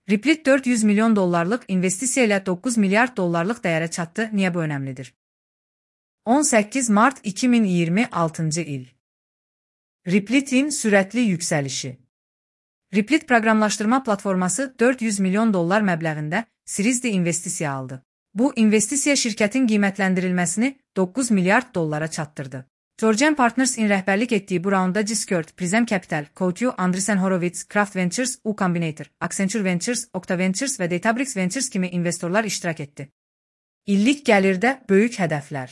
Replit 400 milyon dollarlıq investisiya ilə 9 milyard dollarlıq dəyərə çatdı. Niyə bu önəmlidir? 18 Mart 2026 il. Replit'in sürətli yüksəlişi. Replit proqramlaşdırma platforması 400 milyon dollar məbləğində Series D investisiya aldı. Bu investisiya şirkətin qiymətləndirilməsini 9 milyard dollara çatdırdı. Georgian Partners-in rəhbərlik etdiyi bu raunda Discord, Prism Capital, Coutu, Andreessen Horowitz, Kraft Ventures, U Combinator, Accenture Ventures, Okta Ventures və Databricks Ventures kimi investorlar iştirak etdi. İllik gəlirdə böyük hədəflər.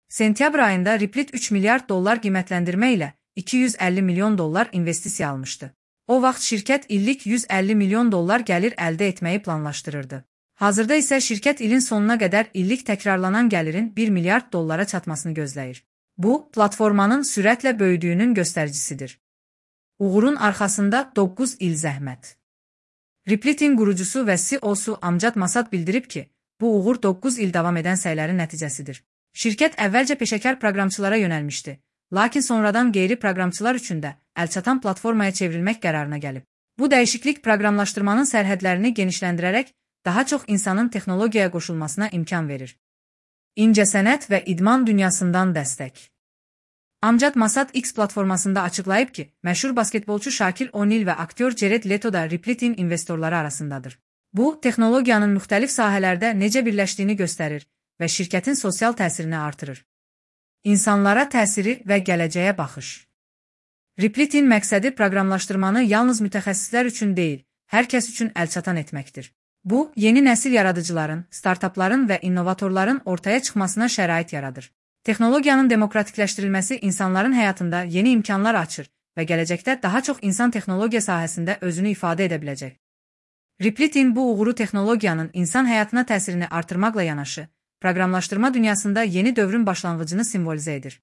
Sentyabr ayında Replit 3 milyard dollar qiymətləndirmə ilə 250 milyon dollar investisiya almışdı. O vaxt şirkət illik 150 milyon dollar gəlir əldə etməyi planlaşdırırdı. Hazırda isə şirkət ilin sonuna qədər illik təkrarlanan gəlirin 1 milyard dollara çatmasını gözləyir. Bu, platformanın sürətlə böyüdüyünün göstəricisidir. Uğurun arxasında 9 il zəhmət. Replit'in qurucusu və CEO-su Amjad Masad bildirib ki, bu uğur 9 il davam edən səylərin nəticəsidir. Şirkət əvvəlcə peşəkar proqramçılara yönəlmişdi, lakin sonradan qeyri-proqramçılar üçün də əlçatan platformaya çevrilmək qərarına gəlib. Bu dəyişiklik proqramlaşdırmanın sərhədlərini genişləndirərək daha çox insanın texnologiyaya qoşulmasına imkan verir. İncəsənət və idman dünyasından dəstək. Amjad Masad X platformasında açıqlayıb ki, məşhur basketbolçu Shaquille O'Neal və aktyor Jared Leto da Replit'in investorları arasındadır. Bu, texnologiyanın müxtəlif sahələrdə necə birləşdiyini göstərir və şirkətin sosial təsirini artırır. İnsanlara təsiri və gələcəyə baxış. Replit'in məqsədi proqramlaşdırmanı yalnız mütəxəssislər üçün deyil, hər kəs üçün əlçatan etməkdir. Bu, yeni nəsil yaradıcıların, startapların və innovatorların ortaya çıxmasına şərait yaradır. Texnologiyanın demokratikləşdirilməsi insanların həyatında yeni imkanlar açır və gələcəkdə daha çox insan texnologiya sahəsində özünü ifadə edə biləcək. Replit'in bu uğuru texnologiyanın insan həyatına təsirini artırmaqla yanaşı, proqramlaşdırma dünyasında yeni dövrün başlanğıcını simvolizə edir.